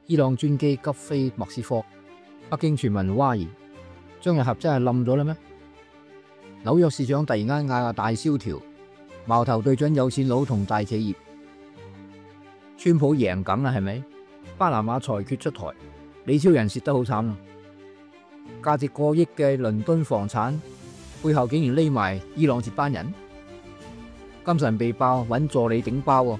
伊朗專機急飛莫斯科，北京傳聞嘩然，張日合真係冧咗啦咩？紐約市長突然間嗌大蕭條，矛頭對準有錢佬同大企業。川普贏梗啦，係咪？巴拿馬裁決出台，李超人蝕得好慘啊！價值過億嘅倫敦房產背後竟然匿埋伊朗接班人，金神被爆揾助理頂包喎。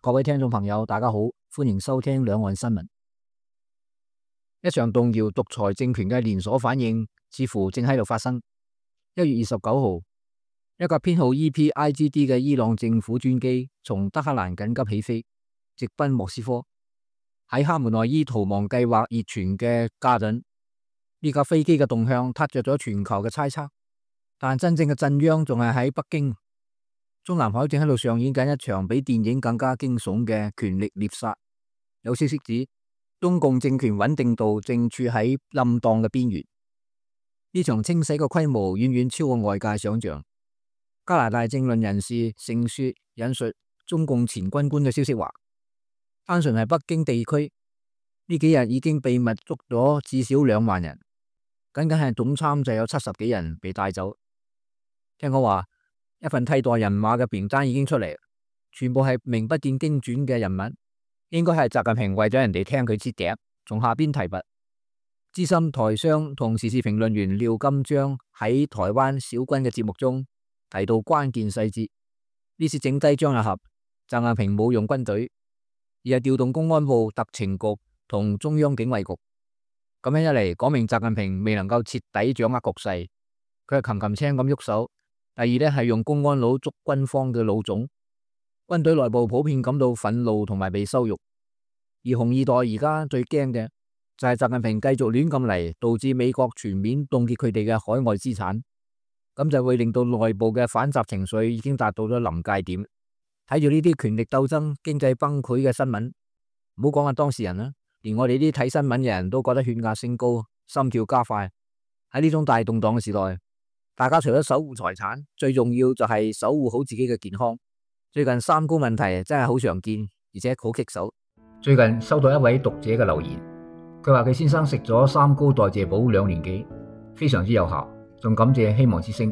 各位聽眾朋友，大家好，歡迎收聽兩岸新聞。一場動搖獨裁政權嘅連鎖反應似乎正喺度發生。1月29號，一架編號 EP-IGD 嘅伊朗政府專機從德黑蘭緊急起飛，直奔莫斯科。喺哈梅內伊逃亡計劃熱傳嘅家陣，呢架飛機嘅動向撻着咗全球嘅猜測，但真正嘅震央仲係喺北京。中南海正喺度上演緊一場比電影更加驚悚嘅權力獵殺。有消息指，中共政權穩定度正處喺冧檔嘅邊緣。呢場清洗嘅規模遠遠超過外界想象。加拿大政論人士盛雪引述中共前軍官嘅消息話，單純係北京地區呢幾日已經秘密捉咗至少2萬人，僅僅係總參就有70幾人被帶走。聽講話一份替代人馬嘅名單已經出嚟，全部係名不見經傳嘅人物，應該係習近平為咗人哋聽佢支笛，從下邊提拔。資深台商同時事評論員廖金章喺台灣小軍嘅節目中提到關鍵細節，呢次整低張日合，習近平冇用軍隊，而係調動公安部特情局同中央警衛局。咁樣一嚟，講明習近平未能夠徹底掌握局勢，佢係擒擒青咁喐手。第二呢，係用公安佬捉軍方嘅老總，軍隊內部普遍感到憤怒同埋被羞辱。而紅二代而家最驚嘅就係習近平繼續亂咁嚟，導致美國全面凍結佢哋嘅海外資產，咁就會令到內部嘅反習情緒已經達到咗臨界點。睇住呢啲權力鬥爭、經濟崩潰嘅新聞，唔好講下當事人啦，連我哋啲睇新聞嘅人都覺得血壓升高、心跳加快。喺呢種大動盪嘅時代，大家除咗守護財產，最重要就係守護好自己嘅健康。最近三高問題真係好常見，而且好棘手。最近收到一位讀者嘅留言，佢話佢先生食咗3高代謝寶2年幾，非常之有效，仲感謝希望之聲。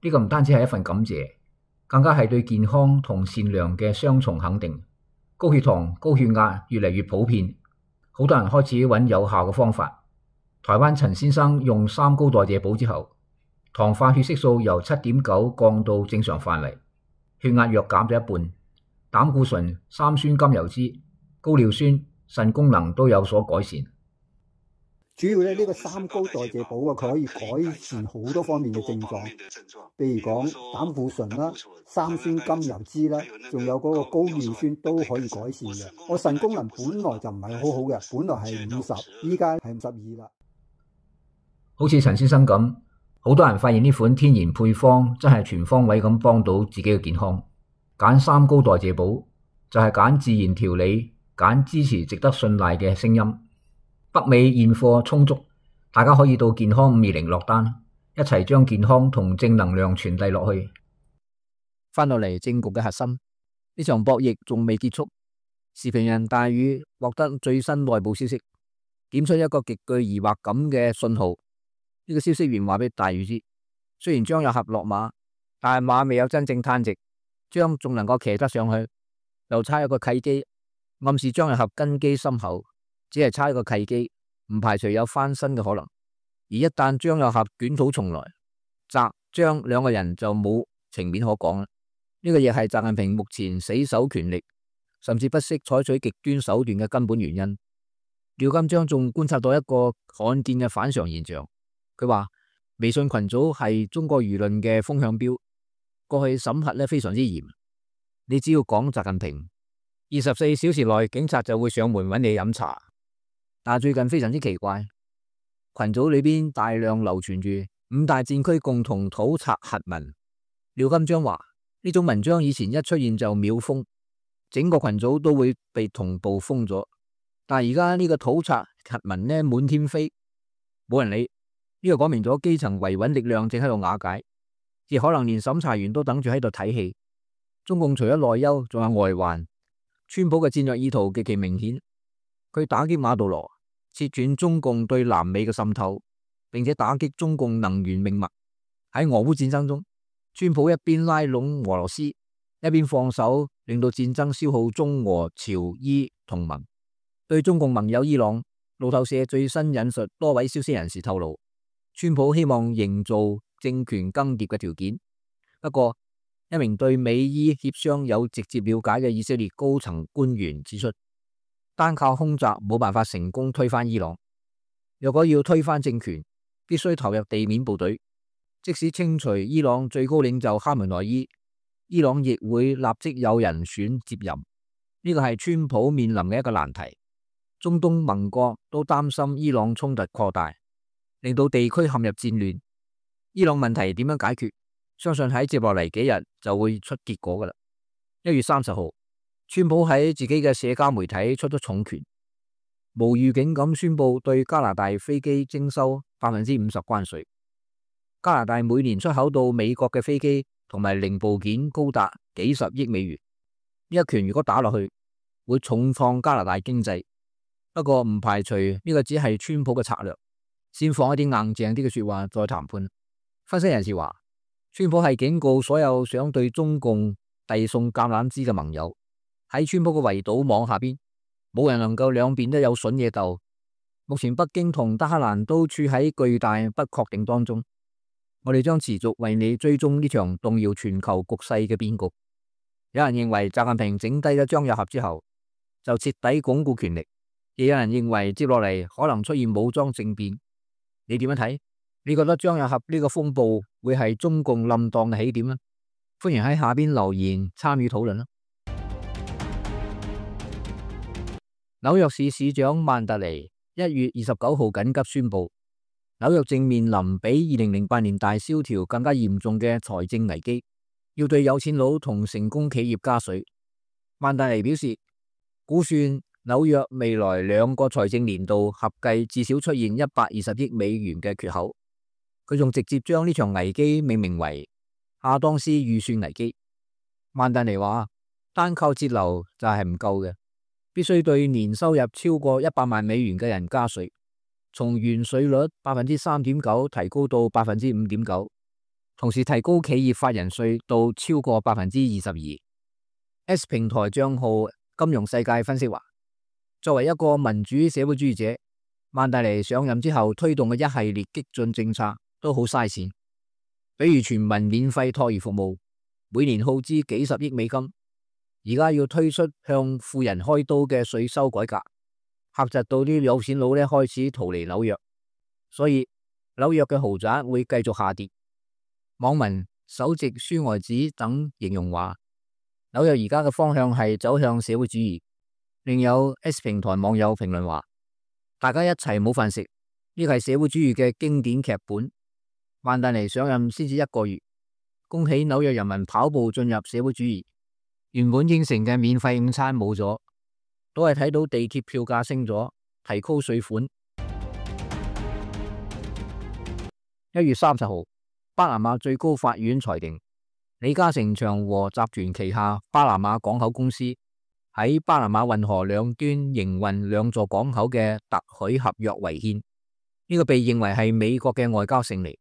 呢個唔單止係一份感謝，更加係對健康同善良嘅雙重肯定。高血糖、高血壓越嚟越普遍，好多人開始揾有效嘅方法。台灣陳先生用3高代謝寶之後，糖化血色素由7.9降到正常範圍，血壓藥減咗一半，膽固醇、三酸甘油酯、高尿酸、腎功能都有所改善。主要呢個3高代謝寶佢可以改善好多方面嘅症狀，譬如講膽固醇啦、三酸甘油酯啦，仲有嗰個高尿酸都可以改善嘅。我腎功能本來就唔係好好嘅，本來係50，依家係52啦。好似陳先生咁，好多人發現呢款天然配方真係全方位咁幫到自己嘅健康。揀3高代謝寶就係揀自然調理，揀支持值得信賴嘅聲音。北美現貨充足，大家可以到健康520落單，一齊將健康同正能量傳遞落去。翻落嚟政局嘅核心，呢場博弈仲未結束。時評人大宇獲得最新內部消息，點出一個極具疑惑感嘅信號。呢個消息源話俾大宇知，雖然張日合落馬，但係馬未有真正攤直，張仲能夠騎得上去，又差一個契機，暗示張日合根基深厚。只係差一個契機，唔排除有翻身嘅可能。而一旦張日合捲土重來，習張兩個人就冇情面可講啦。呢個亦係習近平目前死守權力，甚至不惜採取極端手段嘅根本原因。廖金章仲觀察到一個罕見嘅反常現象，佢話微信群組係中國輿論嘅風向標，過去審核非常之嚴。你只要講習近平，24小時內警察就會上門揾你飲茶。但最近非常之奇怪，群組裏邊大量流傳住5大戰區共同討賊檄文。廖金章話呢種文章以前一出現就秒封，整個群組都會被同步封咗。但係而家呢個討賊檄文呢滿天飛，冇人理。呢個講明咗基層維穩力量正喺度瓦解。亦可能連審查員都等住喺度睇戲。中共除咗內憂，仲有外患。川普嘅戰略意圖極其明顯，佢打擊馬杜羅，切斷中共對南美嘅滲透，並且打擊中共能源命脈。喺俄烏戰爭中，川普一邊拉攏俄羅斯，一邊放手，令到戰爭消耗中俄朝伊同盟。對中共盟友伊朗，路透社最新引述多位消息人士透露，川普希望營造政權更迭嘅條件。不過，一名對美伊協商有直接了解嘅以色列高層官員指出，單靠空襲冇辦法成功推翻伊朗。若果要推翻政權，必須投入地面部隊。即使清除伊朗最高領袖哈梅內伊，伊朗亦會立即有人選接任。呢個係川普面臨嘅一個難題。中東盟國都擔心伊朗衝突擴大，令到地區陷入戰亂。伊朗問題點樣解決？相信喺接落嚟幾日就會出結果噶啦。1月30號，川普喺自己嘅社交媒體出咗重拳，無預警咁宣布對加拿大飛機徵收50%關稅。加拿大每年出口到美國嘅飛機同埋零部件高達幾十億美元。呢一拳如果打落去，會重創加拿大經濟。不過唔排除呢個只係川普嘅策略，先放一啲硬淨啲嘅說話再談判。分析人士話，川普係警告所有想對中共遞送橄欖枝嘅盟友，喺川普嘅圍堵網下邊，冇人能夠兩邊都有筍嘢鬥。目前北京同德黑蘭都處喺巨大不確定當中，我哋將持續為你追蹤呢場動搖全球局勢嘅變局。有人認為習近平整低咗張又俠之後，就徹底鞏固權力。亦有人認為接落嚟可能出現武裝政變，你點樣睇？你覺得張又俠呢個風暴會係中共冧檔嘅起點呢？歡迎喺下邊留言參與討論啦。紐約市市長曼達尼1月29號緊急宣布，紐約正面臨比2008年大蕭條更加嚴重嘅財政危機，要對有錢佬同成功企業加稅。曼達尼表示，估算紐約未來2個財政年度合計至少出現120億美元嘅缺口。佢仲直接將呢場危機命名為亞當斯預算危機。曼達尼話，單靠節流就係唔夠嘅，必須對年收入超過100萬美元嘅人加稅，從原稅率 3.9% 提高到 5.9%， 同時提高企業法人稅到超過 22%。 S 平台賬號金融世界分析話，作為一個民主社會主義者，曼達尼上任之後推動嘅一系列激進政策都好嘥錢，比如全民免費托兒服務，每年耗資幾十億美金，而家要推出向富人開刀嘅稅收改革，嚇窒到啲有錢佬開始逃離紐約，所以紐約嘅豪宅會繼續下跌。網民首席書呆子等形容話，紐約而家嘅方向係走向社會主義。另有 S 平台網友評論話，大家一齊冇飯食，呢個係社會主義嘅經典劇本。曼達尼上任先至1個月，恭喜紐約人民跑步進入社會主義。原本應承嘅免費午餐冇咗，都係睇到地鐵票價升咗，提高稅款。1月30號，巴拿馬最高法院裁定，李嘉誠長和集團旗下巴拿馬港口公司喺巴拿馬運河兩端營運2座港口嘅特許合約違憲，呢個被認為係美國嘅外交勝利。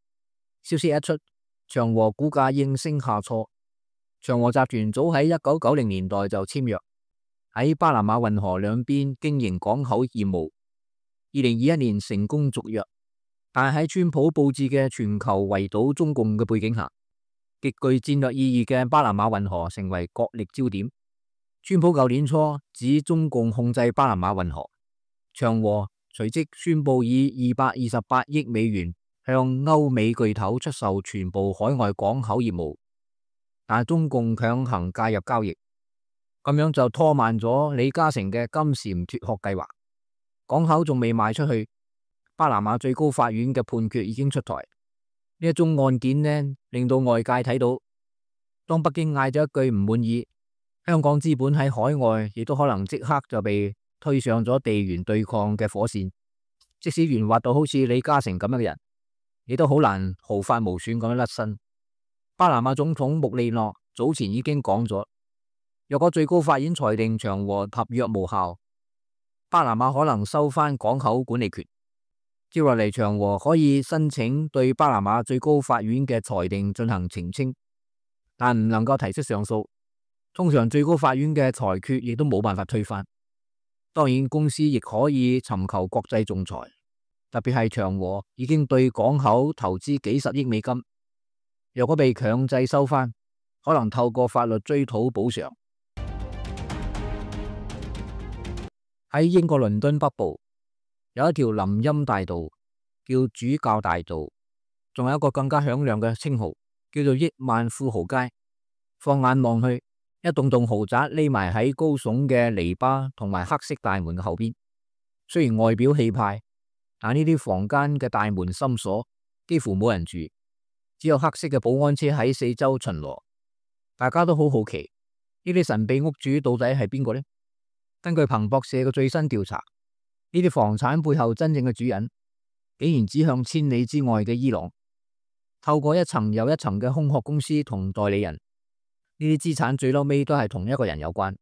消息一出，長和股價應聲下挫。長和集團早喺1990年代就簽約，喺巴拿馬運河兩邊經營港口業務。2021年成功續約，但喺川普布置嘅全球圍堵中共嘅背景下，極具戰略意義嘅巴拿馬運河成為角力焦點。川普舊年初指中共控制巴拿馬運河，長和隨即宣布以228億美元向歐美巨頭出售全部海外港口業務，但中共強行介入交易，咁樣就拖慢咗李嘉誠嘅金蟬脫殼計劃。港口仲未賣出去，巴拿馬最高法院嘅判決已經出台。呢一宗案件呢，令到外界睇到，當北京嗌咗一句唔滿意，香港資本喺海外亦都可能即刻就被推上咗地緣對抗嘅火線。即使圓滑到好似李嘉誠咁樣嘅人，亦都好難毫髮無損咁樣甩身。巴拿馬總統穆利諾早前已經講咗，若果最高法院裁定長和合約無效，巴拿馬可能收返港口管理權。接落嚟，長和可以申請對巴拿馬最高法院嘅裁定進行澄清，但唔能夠提出上訴。通常最高法院嘅裁決亦都冇辦法推翻。當然，公司亦可以尋求國際仲裁，特別係長和已經對港口投資幾十億美金，若果被強制收返，可能透過法律追討補償。喺英國倫敦北部有一條林蔭大道，叫主教大道，仲有一個更加響亮嘅稱號，叫做億萬富豪街。放眼望去，一棟棟豪宅匿埋喺高聳嘅籬笆同埋黑色大門嘅後邊。雖然外表氣派，但呢啲房間嘅大門深鎖，幾乎冇人住，只有黑色嘅保安車喺四周巡邏。大家都好好奇，呢啲神秘屋主到底係邊個呢？根據彭博社嘅最新調查，呢啲房產背後真正嘅主人，竟然指向千里之外嘅伊朗。透過一層又一層嘅空殼公司同代理人，呢啲資產最嬲尾都係同一個人有關。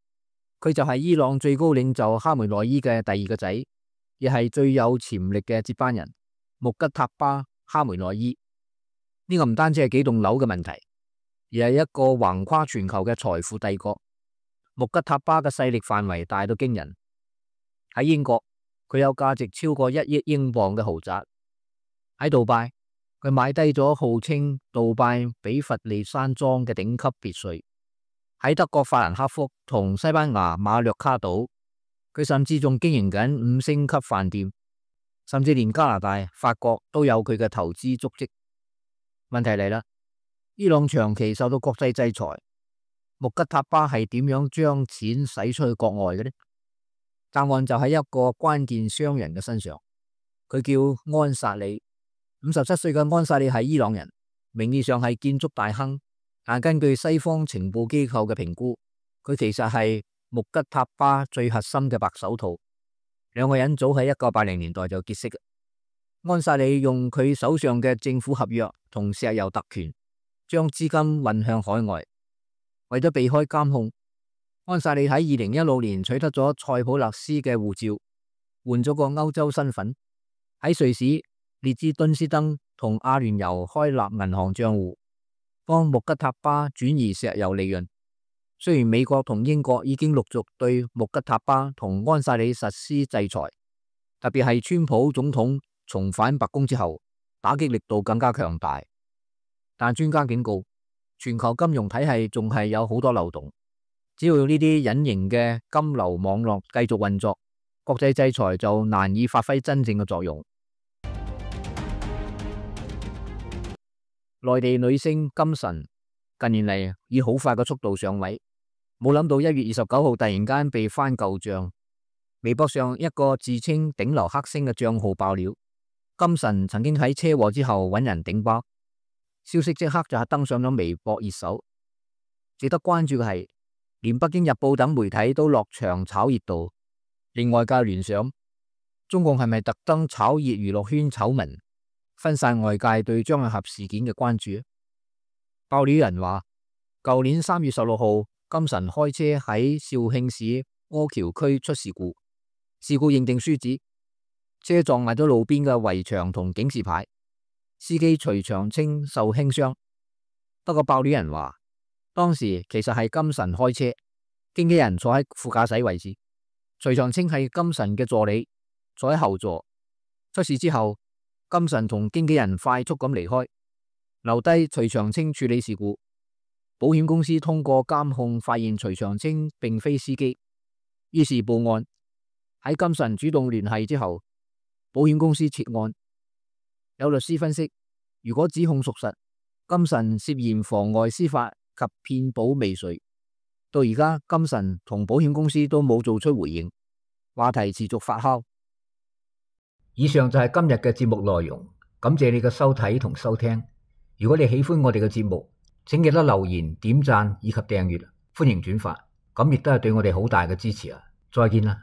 佢就係伊朗最高領袖哈梅內伊嘅第二個仔，亦係最有潛力嘅接班人穆吉塔巴哈梅內伊。呢個唔單止係幾棟樓嘅問題，而係一個橫跨全球嘅財富帝國。穆吉塔巴嘅勢力範圍大到驚人。喺英國，佢有價值超過1億英鎊嘅豪宅；喺杜拜，佢買低咗號稱杜拜比佛利山莊嘅頂級別墅；喺德國法蘭克福同西班牙馬略卡島，佢甚至仲經營緊5星級飯店，甚至連加拿大、法國都有佢嘅投資足跡。問題嚟啦，伊朗長期受到國際制裁，穆吉塔巴係點樣將錢使出去國外嘅呢？答案就喺一個關鍵商人嘅身上，佢叫安薩里。57歲嘅安薩里係伊朗人，名義上係建築大亨，但根據西方情報機構嘅評估，佢其實係穆吉塔巴最核心嘅白手套。兩個人早喺1980年代就結識。安薩里用佢手上嘅政府合約同石油特權，將資金運向海外。為咗避開監控，安薩里喺2016年取得咗塞浦路斯嘅護照，換咗個歐洲身份，喺瑞士、列支敦斯登同阿聯酋開立銀行賬戶，幫穆吉塔巴轉移石油利潤。雖然美國同英國已經陸續對穆吉塔巴同安薩里實施制裁，特別係川普總統重返白宮之後，打擊力度更加強大。但專家警告，全球金融體系仲係有好多漏洞，只要呢啲隱形嘅金流網絡繼續運作，國際制裁就難以發揮真正嘅作用。內地女星金晨近年嚟以好快嘅速度上位，冇諗到1月29號突然間被翻舊賬，微博上一個自稱頂流黑星嘅賬號爆料，金晨曾經喺車禍之後揾人頂包，消息即刻就係登上咗微博熱搜。值得關注嘅係，連北京日報等媒體都落場炒熱度，令外界聯想中共係咪特登炒熱娛樂圈醜聞，分散外界對張藝俠事件嘅關注？爆料人話，舊年3月16號，金晨開車喺肇慶市柯橋區出事故，事故認定書指車撞埋咗路邊嘅圍牆同警示牌，司機徐長青受輕傷。不過爆料人話，當時其實係金晨開車，經紀人坐喺副駕駛位置，徐長青係金晨嘅助理，坐喺後座。出事之後，金晨同經紀人快速咁離開，留低徐長青處理事故。保險公司通過監控發現徐長青並非司機，於是報案。喺金晨主動聯繫之後，保險公司撤案。有律師分析，如果指控屬實，金晨涉嫌妨礙司法及騙保未遂。到而家，金晨同保險公司都冇做出回應，話題持續發酵。以上就係今日嘅節目內容，感謝你嘅收睇同收聽。如果你喜歡我哋嘅節目，請記得留言、點讚以及訂閱，歡迎轉發，咁亦都係對我哋好大嘅支持啊！再見啦！